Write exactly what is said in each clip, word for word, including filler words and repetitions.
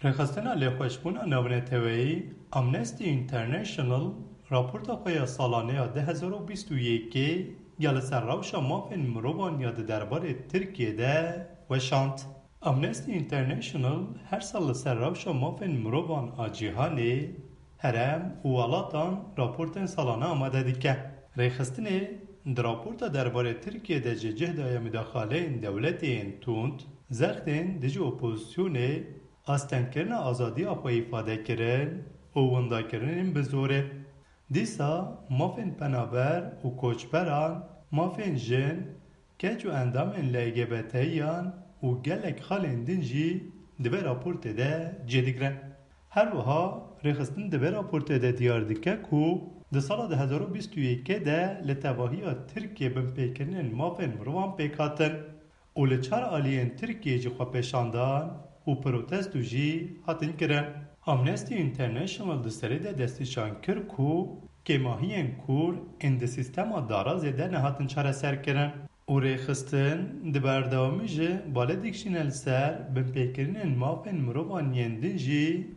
Rêxistina Lêxweşbûna Navneteweyî, Amnesty International, raporta xwe ya salane ya du hezar û bîst û yekê ya li ser rewşa mafên mirovan ya di derbarê Tirkiyê de weşand. Amnesty International her sal li ser rewşa mafên mirovan a cîhanê, herem û welatan raportên salane amade dike. Rêxistinê di raporta derbarê Tirkiyê de ji cih daye mudaxaleyên dewletê yên tund, zextên dijî opozisyonê, astengkirina azadiya xwe îfadekirin û windakirinên bi zorê. Dîsa mafên penaber û koçberan, mafên jin, keç û endamên L G B T yan û gelek xalên din jî di vê raportê de cih digirin. Her wiha rêxistin di vê raportê de diyar dike ku di sala du hezar û bîst û yekê de li tevahiya Tirkiyê binpêkirinên mafên mirovan pêk hatin û li çar aliyên Tirkiyê jî xwepêşandan û protesto jî hatin kirin. Amnesty International di serê de destnîşan kir ku kêmahiyên kûr ên di sîstema darazê de nehatin çareserkirin û rêxistin di berdewamî jî balê dikişîne li ser binpêkirinên mafên mirovan yên din jî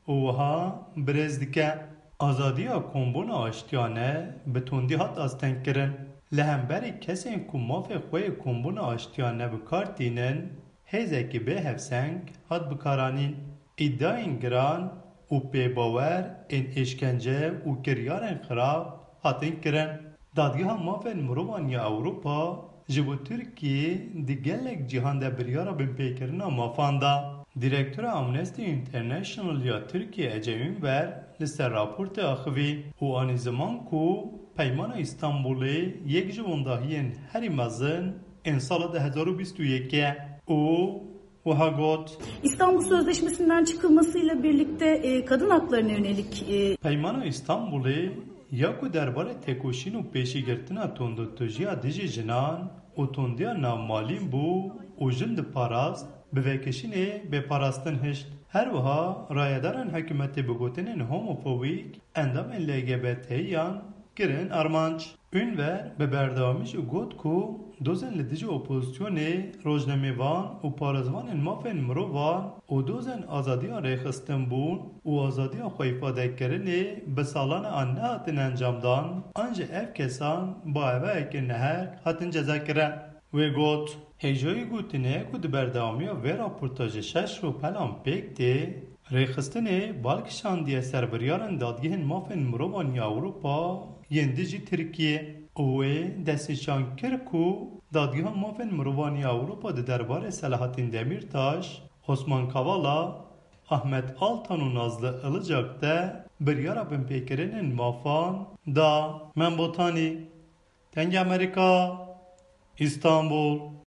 û wiha birêz dike, azadiya kombûna aştiyane bi tundî hat astengkirin. Li hemberî kesên ku mafê xwe yê kombûna aştiyane bi kar tînin, hêzekî bê hevseng hat bikaranîn. Îdiayên giran û pêbawer ên êşkence û kiryarên xirab hatin kirin. Dadgeha Mafên Mirovan ya Ewropa ji bo Tirkiyê di gelek cîhan de biryara binpêkirina mafan da. Direktora Amnesty International ya Tirkiye Ece Ünver li ser raportê axivî û anî ziman ku Peymana Îstanbulê yek ji wendahiyên herî mezin ên sala du hezar û bîst û yekê ye û wiha got: İstanbul Sözleşmesi'nden çıkılmasıyla birlikte e, kadın haklarına yönelik e, Peymana Îstanbulê ya ku derbarê têkoşîn û pêşîgirtina tundutujiya dijî jinan û tundiya navmalîn bû û jin diparast, bi vekişînê bê parastin hişt. Her wiha rayedarên hikûmetê bi gotinên homofobîk endamên L G B T yan kirin armanc. Ünver bi berdewamî jî got ku dozên li dijî opozisyonê, rojnamevan û parêzvanên mafên mirovan û dozên azadiya rêxistinbûn û azadiya xwe îfadekirinê bi salan e an nehatin encamdan, an jî ev kesan bi awayekî nehêk hatin cezakirin. Wê got: Hêjayî gotinê ku di berdewamiya vê raporta ji şeş rûpelan pêk tê, rêxistinê bal kişandiye ser biryarên Dadgehên Mafên Mirovan ya Ewropa yên dijî Tirkiyê û wê destnîşan kir ku Dadgeha Mafên Mirovan ya Ewropa di derbarê Selahattin Demirtaş, Osman Kavala, Ahmet Altan û Nazlı Ilıcak de biryara binpêkirinên mafan da. Mem Botanî, Dengê Amerîka, Îstanbul.